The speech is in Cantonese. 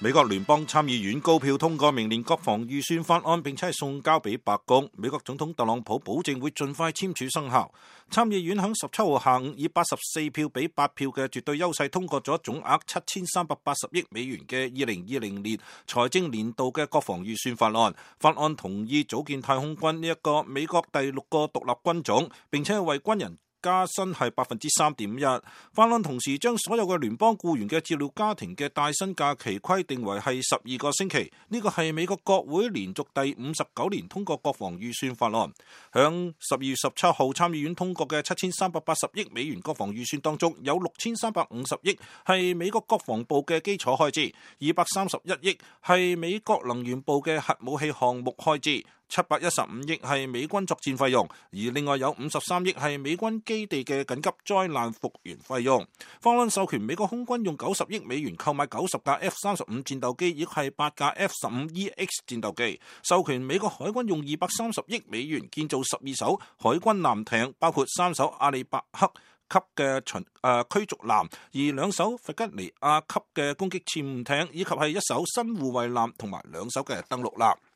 美國聯邦參議院高票通過明年國防預算法案，並且係送交俾白宮。美國總統特朗普保證會盡快簽署生效。參議院響17號下午以84票比8票嘅絕對優勢通過咗總額7380億美元嘅2020年財政年度嘅國防預算法案。法案同意組建太空軍呢一個美國第6個獨立軍種，並且係為軍人加薪係3.1%。法案同時將所有嘅聯邦僱員嘅照料家庭嘅帶薪假期規定為係12個星期。呢個係美國國會連續第59年通過國防預算法案。響12月17號參議院通過嘅7380億美元國防預算當中，有6350億係美國國防部嘅基礎開支，231億係美國能源部嘅核武器項目開支，715億係美軍作戰費用，而另外有53億係美軍基地嘅緊急災難復原費用。法案授權美國空軍用90億美元購買90架 F-35戰鬥機，亦係8架 F-15EX 戰鬥機。授權美國海軍用230億美元建造12艘海軍艦艇，包括3艘阿里伯克級嘅驅逐艦，而2艘弗吉尼亞級嘅攻擊潛艇，以及係1艘新護衛艦同埋2艘嘅登陸艦。